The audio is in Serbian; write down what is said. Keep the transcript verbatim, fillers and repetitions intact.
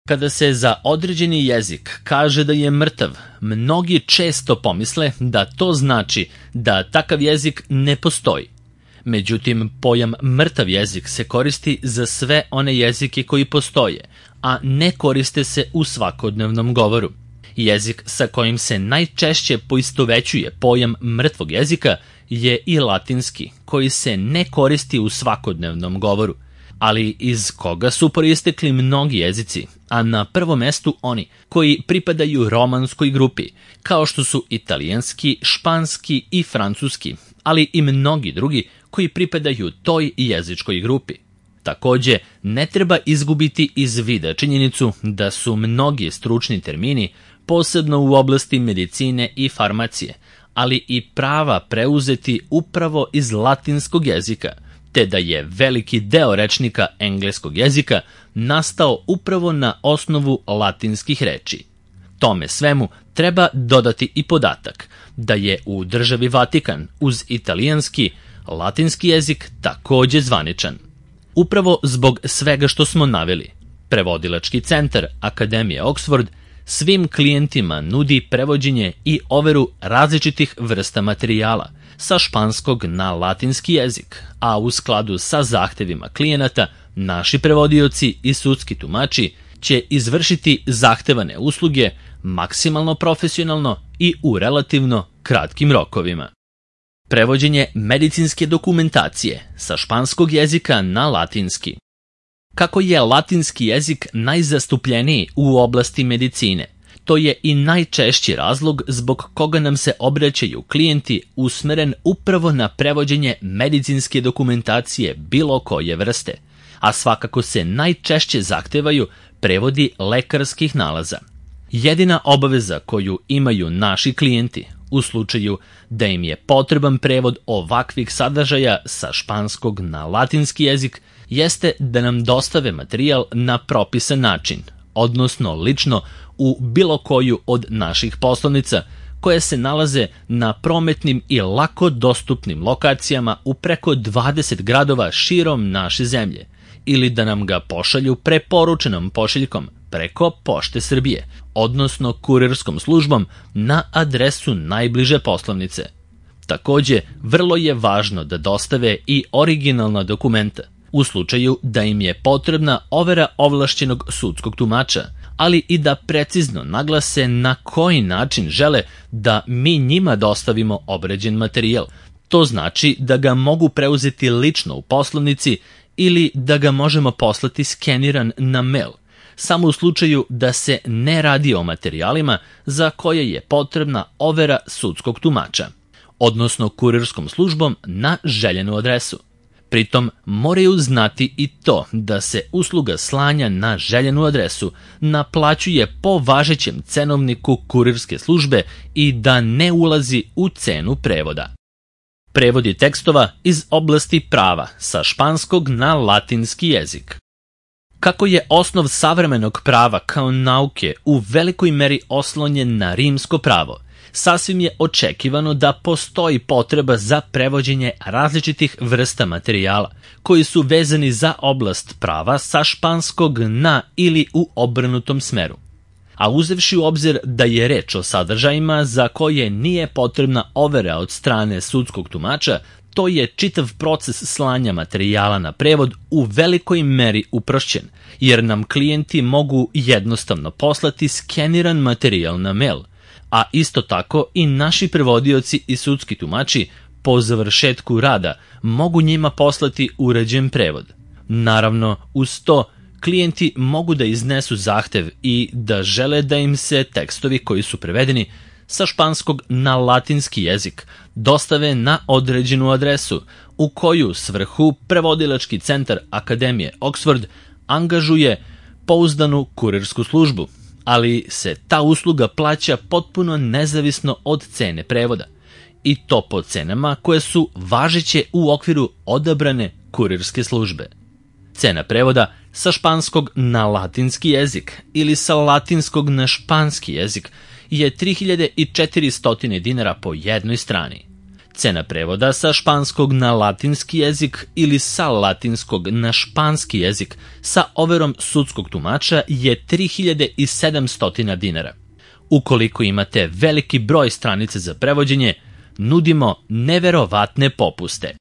Kada se za određeni jezik kaže da je mrtav, mnogi često pomisle da to znači da takav jezik ne postoji. Međutim, pojam mrtav jezik se koristi za sve one jezike koji postoje, a ne koriste se u svakodnevnom govoru. Jezik sa kojim se najčešće poistovećuje pojam mrtvog jezika je i latinski, koji se ne koristi u svakodnevnom govoru, ali iz koga su proistekli mnogi jezici, a na prvom mestu oni koji pripadaju romanskoj grupi, kao što su italijanski, španski i francuski, ali i mnogi drugi koji pripadaju toj jezičkoj grupi. Takođe, ne treba izgubiti iz vida činjenicu da su mnogi stručni termini, posebno u oblasti medicine i farmacije, ali i prava preuzeti upravo iz latinskog jezika, te da je veliki deo rečnika engleskog jezika nastao upravo na osnovu latinskih reči. Tome svemu treba dodati i podatak da je u državi Vatikan uz italijanski latinski jezik takođe zvaničan. Upravo zbog svega što smo naveli, prevodilački centar Akademije Oxford svim klijentima nudi prevođenje i overu različitih vrsta materijala sa španskog na latinski jezik, a u skladu sa zahtevima klijenata, naši prevodioci i sudski tumači će izvršiti zahtevane usluge maksimalno profesionalno i u relativno kratkim rokovima. Prevođenje medicinske dokumentacije sa španskog jezika na latinski. Kako je latinski jezik najzastupljeniji u oblasti medicine, to je i najčešći razlog zbog koga nam se obraćaju klijenti usmeren upravo na prevođenje medicinske dokumentacije bilo koje vrste, a svakako se najčešće zahtevaju prevodi lekarskih nalaza. Jedina obaveza koju imaju naši klijenti u slučaju da im je potreban prevod ovakvih sadržaja sa španskog na latinski jezik jeste da nam dostave materijal na propisan način, odnosno lično u bilo koju od naših poslovnica koje se nalaze na prometnim i lako dostupnim lokacijama u preko dvadeset gradova širom naše zemlje, ili da nam ga pošalju preporučenom pošiljkom preko Pošte Srbije, odnosno kurirskom službom na adresu najbliže poslovnice. Takođe, vrlo je važno da dostave i originalna dokumenta, u slučaju da im je potrebna overa ovlašćenog sudskog tumača, ali i da precizno naglase na koji način žele da mi njima dostavimo obrađen materijal. To znači da ga mogu preuzeti lično u poslovnici ili da ga možemo poslati skeniran na mail, samo u slučaju da se ne radi o materijalima za koje je potrebna overa sudskog tumača, odnosno kurirskom službom na željenu adresu. Pritom moraju znati i to da se usluga slanja na željenu adresu naplaćuje po važećem cenovniku kurirske službe i da ne ulazi u cenu prevoda. Prevodi tekstova iz oblasti prava sa španskog na latinski jezik. Kako je osnov savremenog prava kao nauke u velikoj meri oslonjen na rimsko pravo, sasvim je očekivano da postoji potreba za prevođenje različitih vrsta materijala koji su vezani za oblast prava sa španskog na ili u obrnutom smeru. A uzevši u obzir da je reč o sadržajima za koje nije potrebna overa od strane sudskog tumača, to je čitav proces slanja materijala na prevod u velikoj meri uprošćen, jer nam klijenti mogu jednostavno poslati skeniran materijal na mail, a isto tako i naši prevodioci i sudski tumači po završetku rada mogu njima poslati uređen prevod. Naravno, uz to, klijenti mogu da iznesu zahtev i da žele da im se tekstovi koji su prevedeni sa španskog na latinski jezik dostave na određenu adresu u koju svrhu prevodilački centar Akademije Oxford angažuje pouzdanu kurirsku službu, ali se ta usluga plaća potpuno nezavisno od cene prevoda, i to po cenama koje su važeće u okviru odabrane kurirske službe. Cena prevoda sa španskog na latinski jezik ili sa latinskog na španski jezik je tri hiljade četiristo dinara po jednoj strani. Cena prevoda sa španskog na latinski jezik ili sa latinskog na španski jezik sa overom sudskog tumača je tri hiljade sedamsto dinara. Ukoliko imate veliki broj stranica za prevođenje, nudimo neverovatne popuste.